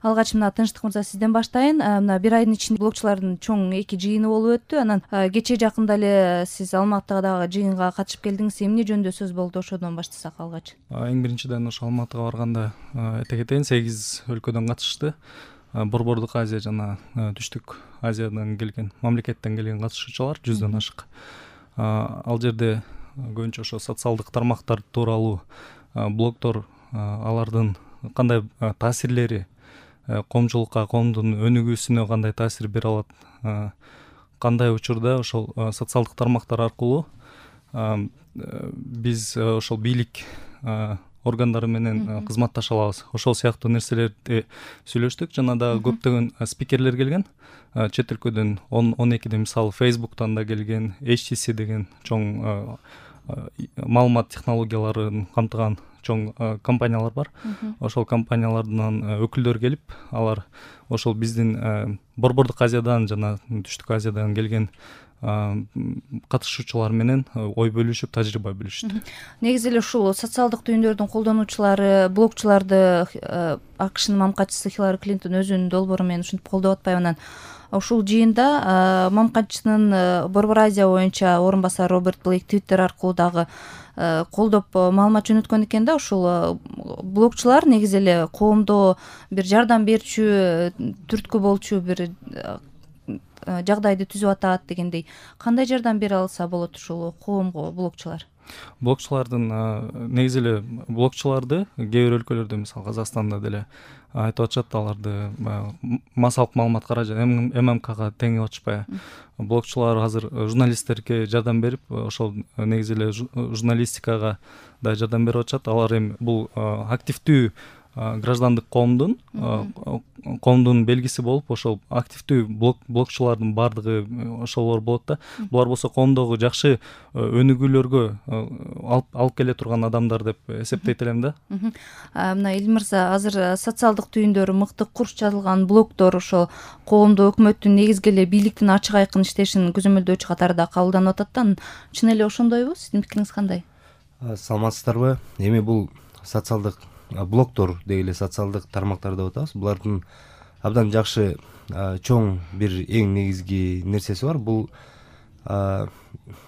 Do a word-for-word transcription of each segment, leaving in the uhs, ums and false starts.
Алгач мына Тынчтык мырза сизден баштайын. Мына бир айдын ичинде блогчулардын чоң эки жыйыны болуп өттү. Анан кечээ жакында эле сиз Алматыга дагы жыйынга катышып келдиңиз. Эмне жөнүндө сөз болду, ошодон баштасак алгач. Эң биринчиден ошо Алматыга барганда айта кетейин, сегиз өлкөдөн катышты. Борбордук Азия жана Түштүк Азиядан келген, мамлекеттен келген катышуучулар жүздөн ашык. Ал жерде көбүнчө ошо социалдык тармактар тууралуу блогдор, алардын кандай таасирлери коомчулукка, коомдун өнүгүүсүнө кандай таасир бере алат, кандай учурда ошол социалдык тармактар аркылуу биз ошол бийлик органдары менен кызматташа алабыз. Ошол сыяктуу нерселерди сүйлөштүк. Жана дагы көптөгөн спикерлер келген. Чет өлкөдөн он экиден мисалы Facebook'тан да келген, эйч ти си деген чоң маалымат технологияларын камтыган чоң компаниялар бар. Ошол компаниялардан өкүлдөр келип, алар ошол биздин Борбордук Азиядан жана Түштүк Азиядан келген катышуучулар менен ой бөлүшүп, тажрыйба бөлүштү. Негизи эле ушул социалдык түйүндөрдүн колдонуучулары, блогчуларды АКШнын мамкачысы Хиллари Клинтон өзүнүн долбоору менен ушинтип колдоп атпайбы. Анан ушул жыйында мамкачысынын Борбор Азия боюнча орун басары Роберт Блейк Твиттер аркылуу дагы колдоп маалымат жөнөткөн экен да. Ушул блогчулар негизи эле коомдо бир жардам берчү, түрткү болчу бир жагдайды түзүп атат дегендей. Кандай жардам бере алса болот ушул коомго блогчулар? Блогчулардын негизи эле блогчуларды кээ бир өлкөлөрдө, мисалы Казакстанда деле айтып атышат, аларды массалык маалымат каражат эм эм кга теңип атышпайбы. Блогчулар азыр журналисттерге жардам берип, ошол негизи эле журналистикага да жардам берип атышат. Алар эми бул активдүү граждандык коомдун коомдун белгиси болуп, ошол активдүү блог блогчулардын бардыгы ошолор болот да. Булар болсо коомдогу жакшы өнүгүүлөргө алып алып келе турган адамдар деп эсептейт элем да. Мына Илим мырза, азыр социалдык түйүндөрү мыкты курч жазылган блогдор ошол коомдо өкмөттүн негизги эле бийликтин ачык айкын иштешин көзөмөлдөөчү катарында кабылданып атат да. Чын эле ошондойбу? Сиздин пикириңиз кандай? Саламатсыздарбы? Эми бул социалдык блогдор деги эле социалдык тармактар деп атабыз. Булардын абдан жакшы чоң бир эң негизги нерсеси бар. Бул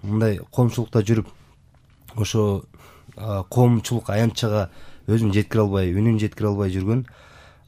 мындай коомчулукта жүрүп, ошо коомчулук аянтчага өзүн жеткире албай, үнүн жеткире албай жүргөн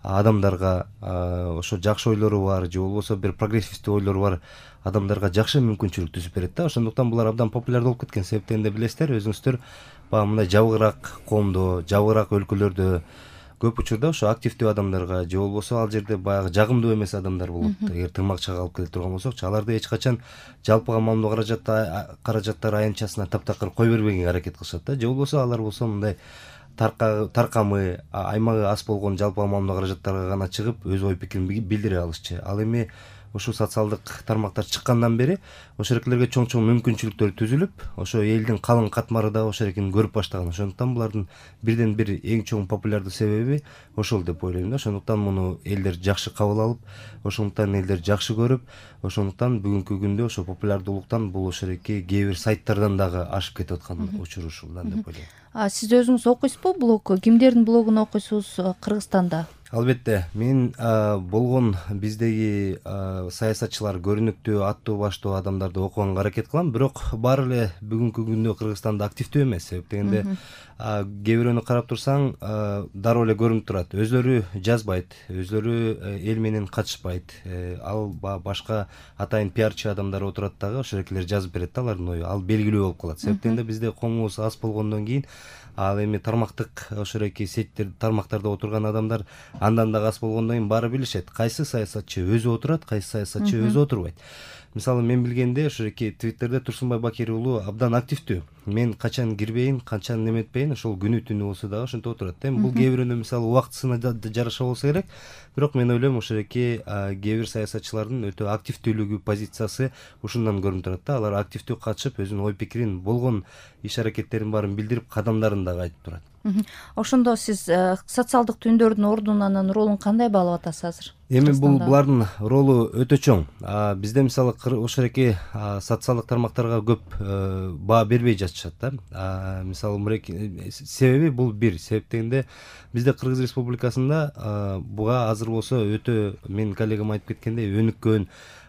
адамдарга, ошо жакшы ойлору бар же болбосо бир прогрессивдүү ойлору бар адамдарга жакшы мүмкүнчүлүк түзүп берет да. Ошондуктан булар абдан популярдуу болуп кеткен. Себептен де билесиздер, өзүңүздөр баягы мындай жабыгыраак коомдо, жабыгыраак өлкөлөрдө көп учурда ошо активдүү адамдарга же болбосо ал жерде баягы жагымдуу эмес адамдар болот. Эгер тырмакчага алып келе турган болсокчу, аларды эч качан жалпыга маалымдоо каражатта каражаттар аянтчасына таптакыр кой бербегенге аракет кылышат да. Же болбосо алар болсо мындай таркамы, аймагы аз болгон жалпыга маалымдоо каражаттарга гана чыгып, өз ой пикирин билдире алышчы. Ал эми ушул социалдык тармактар чыккандан бери ошол эркелерге чоң-чоң мүмкүнчүлүктөр түзүлүп, ошо элдин калың катмары да ошол эркени көрүп баштаган. Ошондуктан булардын бирден бир эң чоң популярдуу себеби ошол деп ойлойм да. Ошондуктан муну элдер жакшы кабыл алып, ошондуктан элдер жакшы көрүп, ошондуктан бүгүнкү күндө ошо популярдуулуктан бул ошол эки кээ бир сайттардан дагы ашып кетип аткан учур ушулдан деп ойлойм. Сиз өзүңүз окуйсузбу блог? Кимдердин блогун окуйсуз Кыргызстанда? Албетте, мен болгон биздеги саясатчылар, көрүнүктүү, аттуу баштуу адамдарды окуганга аракет кылам, бирок баары эле бүгүнкү күндө Кыргызстанда активдүү эмес. Себеп дегенде кээ бирөөнү карап турсаң, дароо эле көрүнүп турат. Өзлөрү жазбайт, өзлөрү эл менен катышпайт. Ал башка атайын пиарчы адамдар отурат дагы, ошол эркелер жазып берет да алардын ою. Ал белгилүү болуп калат. Себеп дегенде бизде коомубуз аз болгондон кийин ал эми тармактык ошол эки сеттер тармактарда отурган адамдар андан да аз болгондон кийин баары билишет. Кайсы саясатчы өзү отурат, кайсы саясатчы өзү отурбайт. Мисалы мен билгенде ошо эки Твиттерде Турсунбай Бакир уулу абдан активдүү. Мен качан кирбейин, качан неметпейин, ошол күнү түнү болсо дагы ошентип отурат. Эми бул кээ бирөөнү мисалы убактысына жараша болсо керек. Бирок мен ойлойм ошол эки кээ бир саясатчылардын өтө активдүүлүгү, позициясы ушундан көрүнүп турат да. Алар активдүү катышып, өзүнүн ой пикирин, болгон иш аракеттерин баарын билдирип, кадамдарын дагы айтып турат. Ошондо сиз социалдык түйүндөрдүн ордун анан ролун кандай баалап атасыз азыр? Эми бул булардын ролу өтө чоң. Бизде мисалы ошол эки социалдык тармактарга көп баа бербей жатышат да. Мисалы муреки себеби бул бир. Себеп дегенде бизде Кыргыз Республикасында буга азыр болсо өтө менин коллегам айтып кеткендей өнүккөн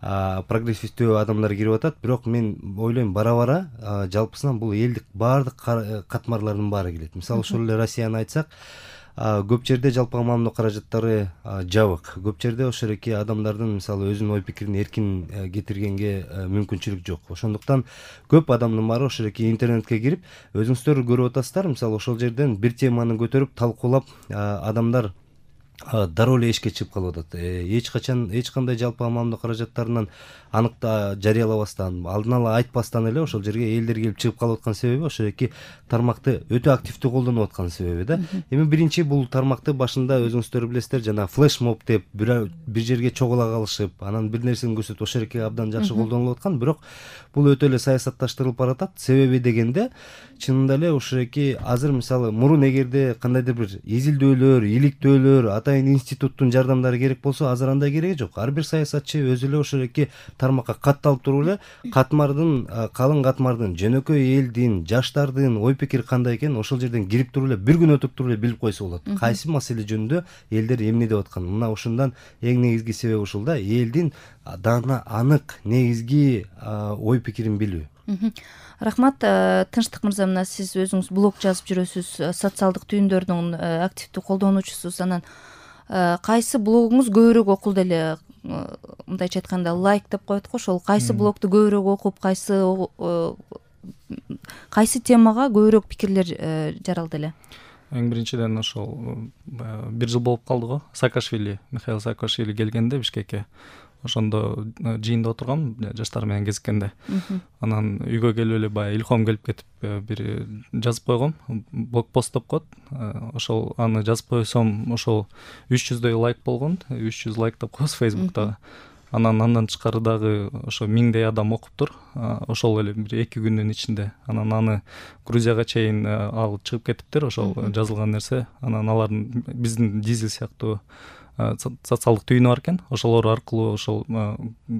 прогрессивдүү адамдар кирип атат, бирок мен ойлойм бара-бара жалпысынан бул элдик баардык катмарлардын баары келет. Мисалы ошол эле Россияны айтсак, көп жерде жалпыга маамилөө каражаттары жабык. Көп жерде ошол эки адамдардын мисалы өзүнүн ой пикирин эркин кетиргенге мүмкүнчүлүк жок. Ошондуктан көп адамдын баары ошол эки интернетке кирип, өзүңүздөр көрүп атасыздар, мисалы ошол жерден бир теманы көтөрүп талкуулап адамдар дароо эле эшикке чыгып калып атат. Эч качан эч кандай жалпыга маамилөө каражаттарынан аныкта жарыялабастан, алдын ала айтпастан эле ошол жерге элдер келип чыгып калып аткан себеби ошол эки тармакты өтө активдүү колдонуп аткан себеби да. Эми биринчи бул тармакты башында өзүңүздөр билесиздер, жана флешмоб деп бир жерге чогула калышып, анан бир нерсени көрсөтүп ошол эки абдан жакшы колдонулуп аткан, бирок бул өтө эле саясатташтырылып баратат. Себеби дегенде чынында эле ошол эки азыр мисалы мурун эгерде кандайдыр бир изилдөөлөр, иликтөөлөр, атайын институттун жардамдары керек болсо, азыр андай кереги жок. Ар бир саясатчы өзү эле ошол эки тармакка катталып туруп эле катмардын, калың катмардын, жөнөкөй элдин, жаштардын ой пикири кандай экенин ошол жерден кирип туруп эле бир күн өтүп туруп эле билип койсо болот. Кайсы маселе жөнүндө элдер эмне деп аткан. Мына ошондон эң негизги себеби ушул да, элдин дана анык негизги ой пикирин билүү. Рахмат, Тынчтык мырза, мына сиз өзүңүз блог жазып жүрөсүз, социалдык түйүндөрдүн активдүү колдонуучусуз. Анан кайсы блогуңуз көбүрөөк окулду эле, мындайча айтканда лайк деп коет го, ошол кайсы блогду көбүрөөк окуп, кайсы кайсы темага көбүрөөк пикирлер жаралды эле? Эң биринчиден ошол бир жыл болуп калды го, Саакашвили, Михаил Саакашвили келгенде Бишкекке. Ошондо жыйында отургам жаштар менен кезиккенде. Анан үйгө келип эле баягы илхом келип кетип бир жазып койгом, блог пост деп коет. Ошол аны жазып койсом, ошол үч жүздөй лайк болгон, үч жүз лайк деп коебуз Facebook'та. Анан андан тышкары дагы ошо миңдей адам окуптур. Ошол эле бир эки күндүн ичинде. Анан аны Грузияга чейин алып чыгып кетиптир, ошол жазылган нерсе. Анан алардын биздин Дизель сыяктуу социалдык түйүнү бар экен, ошолор аркылуу ошол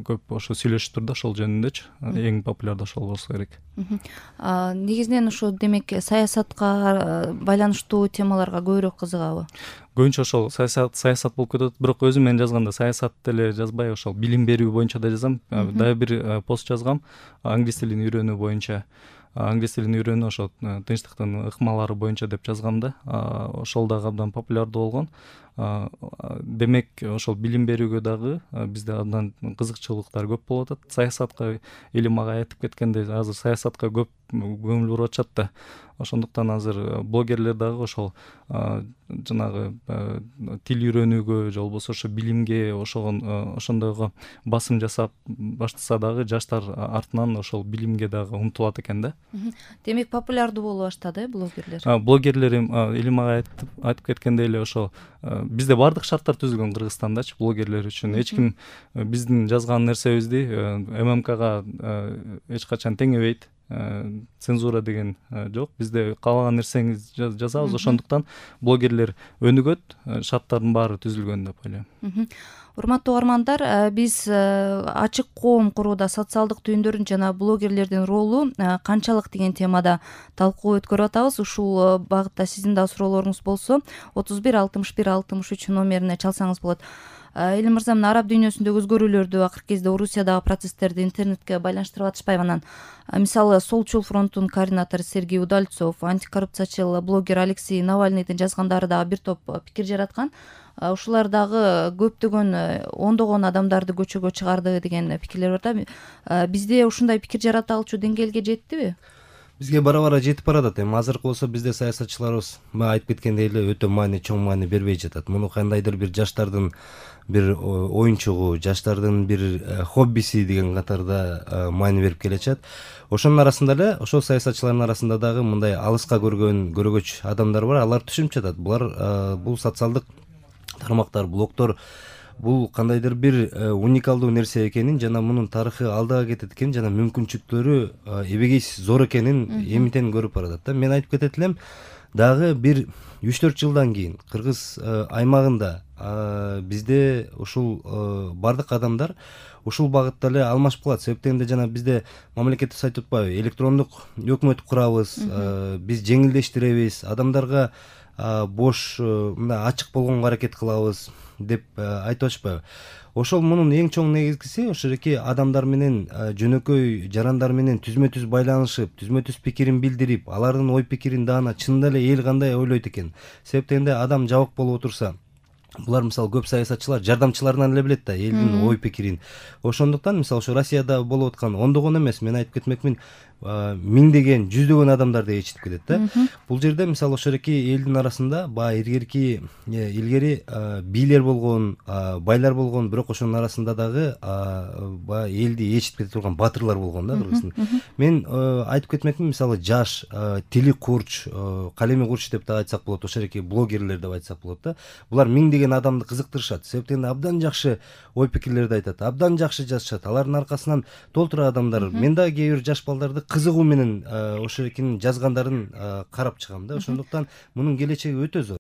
көп ошо сүйлөшүптүр да, ошол жөнүндөчү. Эң популярдуу ошол болсо керек. Негизинен ошо демек саясатка байланыштуу темаларга көбүрөөк кызыгабы? Көбүнчө ошол саясат саясат болуп кетет, бирок өзүм мен жазганда саясат деле жазбай, ошол билим берүү боюнча да жазам. Дагы бир пост жазгам англис тилин үйрөнүү боюнча. Англис тилин үйрөнүү ошо тынчтыктын ыкмалары боюнча деп жазгам да. Ошол дагы абдан популярдуу болгон. Демек ошол билим берүүгө дагы бизде абдан кызыкчылыктар көп болуп атат. Саясатка эли мага айтып кеткендей, азыр саясатка көп көңүл буруп атышат да. Ошондуктан азыр блогерлер дагы ошол жанагы тил үйрөнүүгө же болбосо ошо билимге ошогон ошондойго басым жасап баштаса дагы жаштар артынан ошол билимге дагы умтулат экен да. Демек популярдуу боло баштады блогерлер. Блогерлер эли мага айтып айтып кеткендей эле ошол бизде баардык шарттар түзүлгөн Кыргызстандачы блогерлер үчүн. Эч ким биздин жазган нерсебизди ММКга эч качан теңебейт. Цензура деген жок. Бизде каалаган нерсеңиз жазабыз. Ошондуктан блогерлер өнүгөт, шарттардын баары түзүлгөн деп ойлойм. Урматтуу угармандар, биз ачык коом курууда социалдык түйүндөрдүн жана блогерлердин ролу канчалык деген темада талкуу өткөрүп атабыз. Ушул багытта сиздин да суроолоруңуз болсо отуз бир алтымыш бир алтымыш үч номерине чалсаңыз болот. Элим мырза, мына араб дүйнөсүндөгү өзгөрүүлөрдү, акыркы кезде Орусиядагы процесстерди интернетке байланыштырып атышпайбы? Анан мисалы Солчул фронтунун координатору Сергей Удальцов, антикоррупциячыл блогер Алексей Навальныйдын жазгандары дагы бир топ пикир жараткан. Ушулар дагы көптөгөн ондогон адамдарды көчөгө чыгарды деген пикирлер бар да. Бизде ушундай пикир жарата алчу деңгээлге жеттиби? Бизге бара-бара жетип баратат. Эми азыркы болсо бизде саясатчыларыбыз айтып кеткендей эле өтө маани, чоң маани бербей жатат. Муну кандайдыр бир жаштардын бир оюнчугу, жаштардын бир хоббиси деген катарда маани берип келечат. Ошонун арасында эле ошол саясатчылардын арасында дагы мындай алыска көргөн көрөгөч адамдар бар. Алар түшүнүп жатат. Булар бул социалдык тармактар, блогдор бул кандайдыр бир уникалдуу нерсе экенин жана мунун тарыхы алдыга кетет экенин жана мүмкүнчүлүктөрү эбегейсиз зор экенин эмитен көрүп баратат да. Мен айтып кетет элем, дагы бир үч төрт жылдан кийин кыргыз аймагында бизде ушул бардык адамдар ушул багытта эле алмашып калат. Себеп дегенде жана бизде мамлекетибиз айтып атпайбы, электрондук өкмөт курабыз, биз жеңилдештиребиз, адамдарга бош мындай ачык болгонго аракет кылабыз деп айтып атышпайбы. Ошол мунун эң чоң негизгиси ошо эки адамдар менен жөнөкөй жарандар менен түзмө түз байланышып, түзмө түз пикирин билдирип, алардын ой пикирин даана чынында эле эл кандай ойлойт экен. Себеп дегенде адам жабык болуп отурса, булар мисалы көп саясатчылар жардамчыларынан эле билет да элдин ой пикирин. Ошондуктан мисалы ошо Россияда болуп аткан ондогон эмес, мен айтып кетмекмин, миңдеген, жүздөгөн адамдарды ээрчитип келет да. Бул жерде мисалы ошо эки элдин арасында баягы илгерки илгери бийлер болгон, байлар болгон, бирок ошонун арасында дагы баягы элди ээрчитип кете турган батырлар болгон да Кыргыздын. Мен айтып кетмекмин, мисалы жаш, тили курч, калеми курч деп да айтсак болот, ошо эки блогерлер деп айтсак болот да. Булар миңдеген адамды кызыктырышат. Себеп дегенде абдан жакшы ой пикирлерди айтат, абдан жакшы жазышат. Алардын аркасынан толтура адамдар. Мен дагы кээ бир жаш балдарды кызыгуу менен ошо экинин жазгандарын карап чыгам да. Ошондуктан мунун келечеги өтө зор.